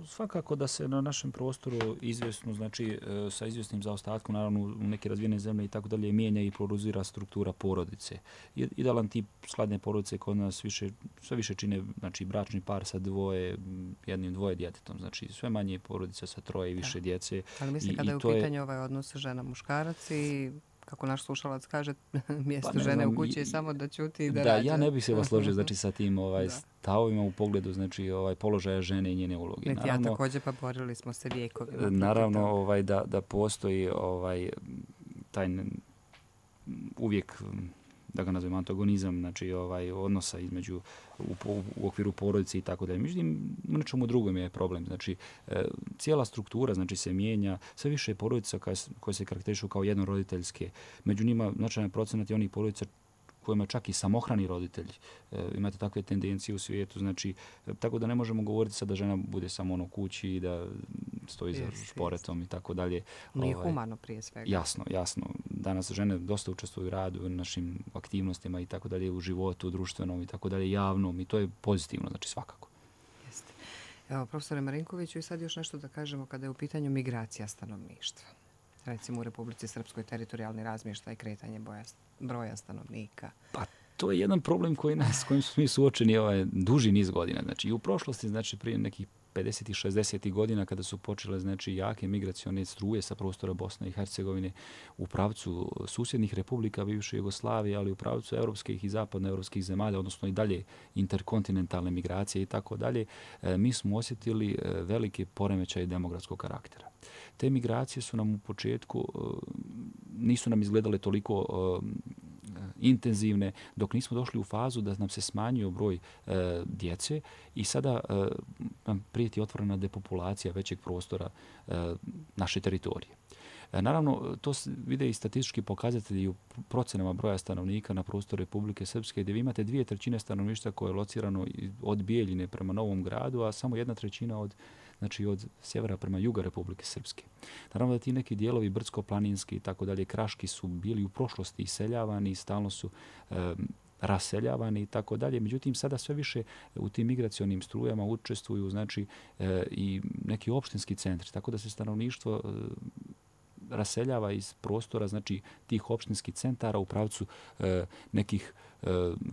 svakako da se na našem prostoru izvjesno, znači sa izvjesnim zaostatkom, naravno u neke razvijene zemlje i tako dalje, mijenja i prorozira struktura porodice. Idealan tip skladne porodice kod nas više, sve više čine, znači, bračni par sa dvoje, jednim dvoje djetetom. Znači sve manje porodice sa troje i više da. djece. Ali mislim kada je u pitanju je... ovaj odnos žena-muškarac i kako naš slušalac kaže, mjesto pa žene znam, u kući je samo da ćuti i da, da rađa. Da, ja ne bih se vas složio znači, sa tim ovaj, stavovima u pogledu znači, ovaj, položaja žene i njene uloge. Niti ja također, pa borili smo se vijekovima. Naravno ovaj, da, da postoji ovaj, taj uvijek, da ga nazovem, antagonizam, znači ovaj odnosa između u, u okviru porodice i tako dalje. Međutim, u nečemu drugom je problem. Znači, e, cijela struktura znači se mijenja, sve više je porodica koje, koje se karakterišu kao jednoroditeljske. Među njima značajan procenat je onih porodica kojima čak i samohrani roditelj. E, imate takve tendencije u svijetu, znači, e, tako da ne možemo govoriti sad da žena bude samo ono kući i da stoji za šporetom i tako dalje. Nije ovaj, humano prije svega. Jasno, jasno. Danas žene dosta učestvuju u radu, u našim aktivnostima i tako dalje, u životu, društvenom i tako dalje, javnom, i to je pozitivno, znači svakako. Jeste. Evo, profesore Marinkoviću, i sad još nešto da kažemo kada je u pitanju migracija stanovništva. recimo u Republici Srpskoj, teritorijalni razmještaj, kretanje boja, broja stanovnika? Pa to je jedan problem koji nas, kojim smo mi suočeni ovaj duži niz godina. Znači i u prošlosti, znači prije nekih pedesetih šezdesetih godina kada su počele znači jake migracione struje sa prostora Bosne i Hercegovine u pravcu susjednih republika bivše Jugoslavije, ali u pravcu evropskih i zapadnoevropskih zemalja, odnosno i dalje interkontinentalne migracije i tako dalje, mi smo osjetili velike poremećaje demografskog karaktera. Te migracije su nam u početku, nisu nam izgledale toliko intenzivne dok nismo došli u fazu da nam se smanjio broj e, djece i sada e, nam prijeti otvorena depopulacija većeg prostora e, naše teritorije. E, naravno, to vide i statistički pokazatelji u procenama broja stanovnika na prostoru Republike Srpske, gdje vi imate dvije trećine stanovništva koje je locirano od Bijeljine prema Novom Gradu, a samo jedna trećina od znači od sjevera prema juga Republike Srpske. Naravno da ti neki dijelovi brdsko-planinski i tako dalje, kraški su bili u prošlosti iseljavani i stalno su e, raseljavani i tako dalje. Međutim, sada sve više u tim migracionim strujama učestvuju znači e, i neki opštinski centri, tako da se stanovništvo e, raseljava iz prostora znači tih opštinskih centara u pravcu e, nekih e,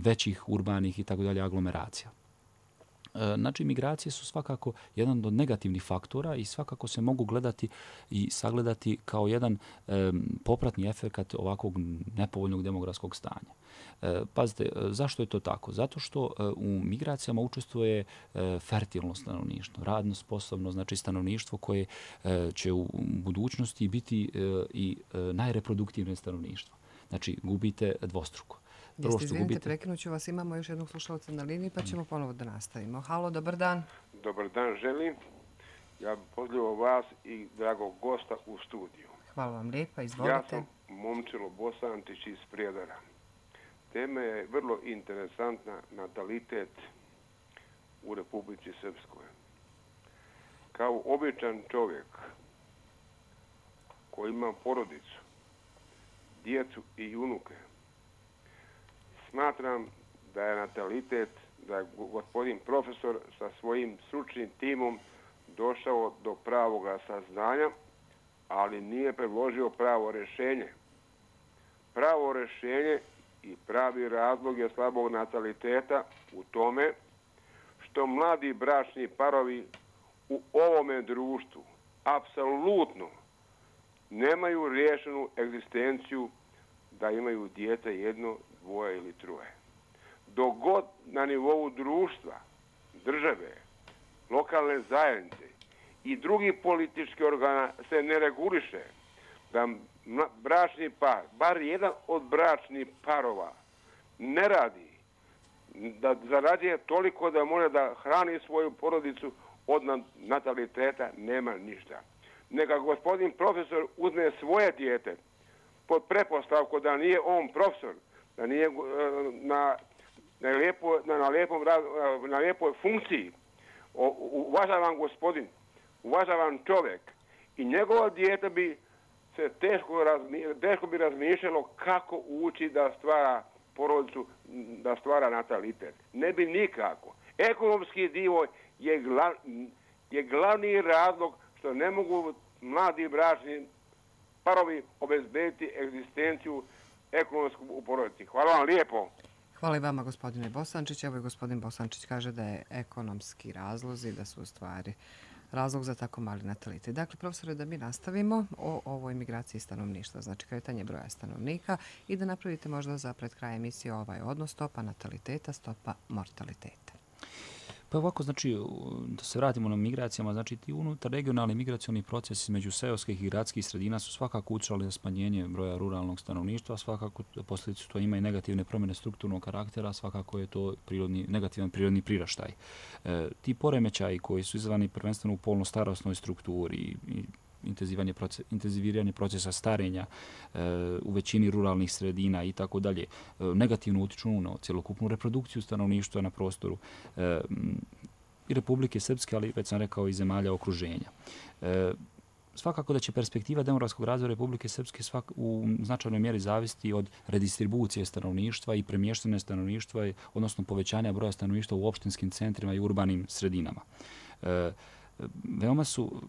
većih urbanih i tako dalje aglomeracija. Znači, migracije su svakako jedan od negativnih faktora i svakako se mogu gledati i sagledati kao jedan e, popratni efekt ovakvog nepovoljnog demografskog stanja. E, pazite, zašto je to tako? Zato što e, u migracijama učestvuje e, fertilno stanovništvo, radno sposobno, znači stanovništvo koje e, će u budućnosti biti e, i e, najreproduktivnije stanovništvo. Znači, gubite dvostruko. Jeste, izvinite, prekinut ću vas, imamo još jednog slušalca na liniji, pa ćemo ponovo da nastavimo. Halo, dobar dan. Dobar dan, želim. Ja pozdravljam vas i dragog gosta u studiju. Hvala vam lijepa, izvolite. Ja sam Momčilo Bosančić iz Prijedora. Tema je vrlo interesantna, natalitet u Republici Srpskoj. Kao običan čovjek koji ima porodicu, djecu i unuke, smatram da je natalitet, da je gospodin profesor sa svojim stručnim timom došao do pravoga saznanja, ali nije predložio pravo rješenje. Pravo rješenje i pravi razlog je slabog nataliteta u tome što mladi bračni parovi u ovome društvu apsolutno nemaju riješenu egzistenciju da imaju dijete jedno, dvoje ili troje. Dok god na nivou društva, države, lokalne zajednice i drugih političkih organa se ne reguliše da bračni par, bar jedan od bračnih parova ne radi, da zarađuje toliko da može da hrani svoju porodicu, od nataliteta nema ništa. Neka gospodin profesor uzme svoje dijete pod prepostavku da nije on profesor, da nije na, na, lijepo, na, na, lijepom, na lijepoj funkciji. O, uvažavam gospodin, uvažavam čovjek i njegovo dijete bi se teško, razmi, teško bi razmišljalo kako ući da stvara porodicu, da stvara natalitet. Ne bi nikako. Ekonomski dio je, glav, je glavni razlog što ne mogu mladi bračni parovi obezbediti egzistenciju ekonomsku u porodici. Hvala vam lijepo. Hvala i vama, gospodine Bosančić. Evo i gospodin Bosančić kaže da je ekonomski razlozi, da su u stvari razlog za tako mali natalitet. Dakle, profesore, da mi nastavimo o ovoj migraciji stanovništva, znači kretanje broja stanovnika i da napravite možda za pred kraj emisije ovaj odnos stopa nataliteta, stopa mortaliteta. Pa ovako, znači, da se vratimo na migracijama, znači ti unutar regionalni migracioni procesi između seoskih i gradskih sredina su svakako učali na smanjenje broja ruralnog stanovništva, svakako posljedicu to ima i negativne promjene strukturnog karaktera, svakako je to prirodni, negativan prirodni priraštaj. E, ti poremećaji koji su izvani prvenstveno u polno-starosnoj strukturi i, i Proces, intenziviranje procesa starenja e, u većini ruralnih sredina i tako dalje, e, negativno utiču na cjelokupnu reprodukciju stanovništva na prostoru e, i Republike Srpske, ali već sam rekao i zemalja okruženja. E, svakako da će perspektiva demografskog razvoja Republike Srpske svak, u značajnoj mjeri zavisiti od redistribucije stanovništva i premještene stanovništva, odnosno povećanja broja stanovništva u opštinskim centrima i urbanim sredinama. E, veoma su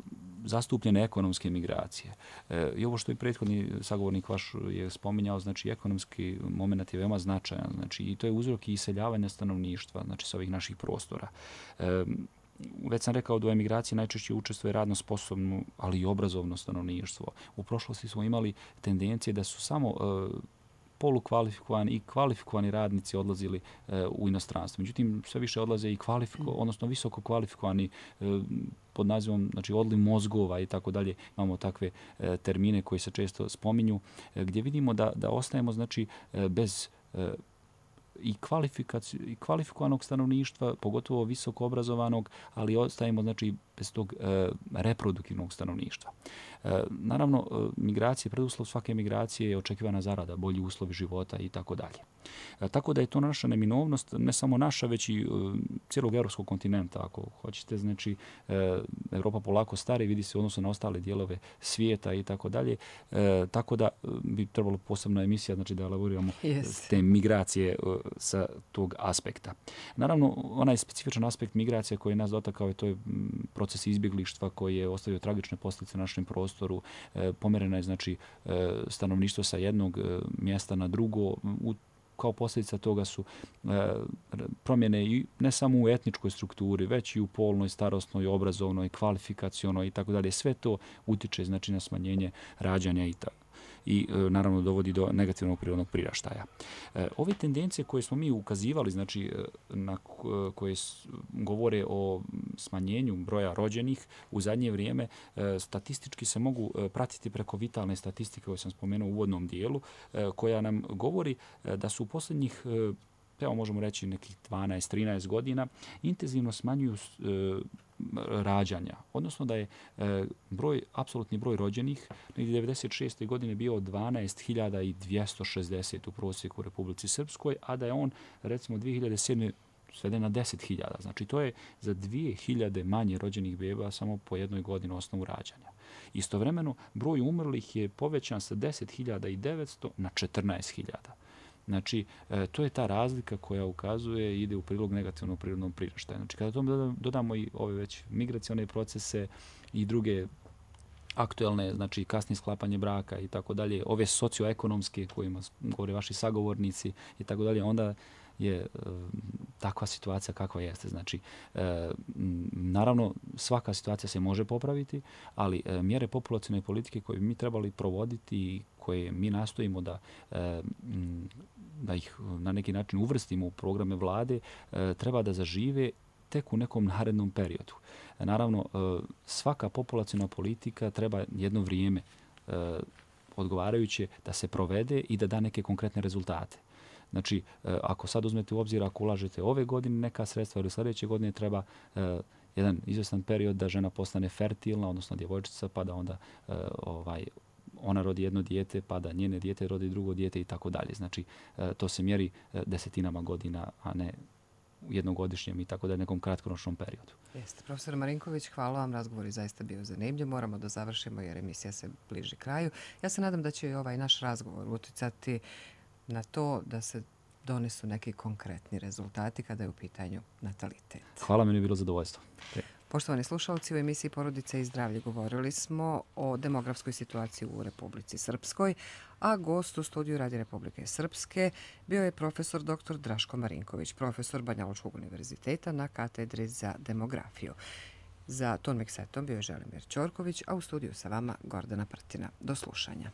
zastupljene ekonomske migracije. E, I ovo što je prethodni sagovornik vaš je spominjao, znači ekonomski moment je veoma značajan. Znači, i to je uzrok i iseljavanja stanovništva, znači sa ovih naših prostora. E, Već sam rekao da u emigraciji najčešće učestvuje radno sposobno, ali i obrazovno stanovništvo. U prošlosti smo imali tendencije da su samo e, polukvalifikovani i kvalifikovani radnici odlazili e, u inostranstvo. Međutim, sve više odlaze i kvalifiko, odnosno visoko kvalifikovani e, pod nazivom, znači, odliv mozgova i tako dalje. Imamo takve e, termine koji se često spominju, e, gdje vidimo da, da ostajemo, znači, e, bez e, i, i kvalifikovanog stanovništva, pogotovo visoko obrazovanog, ali ostajemo, znači, bez tog e, reproduktivnog stanovništva. E, naravno, e, migracije, preduslov svake migracije je očekivana zarada, bolji uslovi života i tako dalje. E, tako da je to naša neminovnost, ne samo naša, već i e, cijelog evropskog kontinenta, ako hoćete. Znači, e, Evropa polako stari, vidi se u odnosu na ostale dijelove svijeta i tako dalje. E, tako da bi trebalo posebna emisija, znači, da elaboriramo yes. te migracije e, sa tog aspekta. Naravno, onaj specifičan aspekt migracije koji je nas dotakao je to je proces izbjeglištva koji je ostavio tragične posljedice na našem prostoru. E, pomerena je, znači, e, stanovništvo sa jednog e, mjesta na drugo. U, kao posljedica toga su e, promjene i ne samo u etničkoj strukturi, već i u polnoj, starosnoj, obrazovnoj, kvalifikacionoj i tako dalje. Sve to utiče, znači, na smanjenje rađanja i tako. i e, naravno dovodi do negativnog prirodnog priraštaja. E, ove tendencije koje smo mi ukazivali, znači na koje govore o smanjenju broja rođenih u zadnje vrijeme, e, statistički se mogu pratiti preko vitalne statistike koje sam spomenuo u uvodnom dijelu, e, koja nam govori e, da su u posljednjih e, evo možemo reći nekih dvanaest trinaest godina, intenzivno smanjuju e, rađanja. Odnosno da je e, broj, apsolutni broj rođenih negdje devedeset šeste godine bio dvanaest hiljada dvjesto šezdeset u prosjeku u Republici Srpskoj, a da je on recimo dvije hiljade sedme sveden na deset hiljada. Znači to je za dvije hiljade manje rođenih beba samo po jednoj godini osnovu rađanja. Istovremeno broj umrlih je povećan sa deset hiljada devetsto na četrnaest hiljada. Znači, e, to je ta razlika koja ukazuje i ide u prilog negativnog prirodnog priraštaja. Znači, kada tome dodamo i ove već migracione procese i druge aktuelne, znači kasnije sklapanje braka i tako dalje, ove socioekonomske kojima govore vaši sagovornici i tako dalje, onda je e, takva situacija kakva jeste. Znači, e, naravno, svaka situacija se može popraviti, ali e, mjere populacione politike koje bi mi trebali provoditi i koje mi nastojimo da, e, da ih na neki način uvrstimo u programe vlade, e, treba da zažive tek u nekom narednom periodu. E, naravno, e, svaka populaciona politika treba jedno vrijeme e, odgovarajuće da se provede i da da neke konkretne rezultate. Znači, ako sad uzmete u obzir, ako ulažete ove godine neka sredstva ili sljedeće godine treba eh, jedan izvjestan period da žena postane fertilna, odnosno djevojčica, pa da onda eh, ovaj, ona rodi jedno dijete, pa da njene dijete rodi drugo dijete i tako dalje. Znači, eh, to se mjeri eh, desetinama godina, a ne u jednogodišnjem i tako da je nekom kratkoročnom periodu. Jeste. Profesor Marinković, hvala vam. Razgovor je zaista bio zanimljiv. Moramo da završimo jer emisija se bliži kraju. Ja se nadam da će i ovaj naš razgovor uticati na to da se donesu neki konkretni rezultati kada je u pitanju natalitet. Hvala, meni je bilo zadovoljstvo. Poštovani slušalci, u emisiji Porodica i zdravlje govorili smo o demografskoj situaciji u Republici Srpskoj, a gost u studiju Radija Republike Srpske bio je profesor doktor Draško Marinković, profesor Banjalučkog univerziteta na katedri za demografiju. Za ton miksetom bio je Želimir Ćorković, a u studiju sa vama Gordana Prtina. Do slušanja.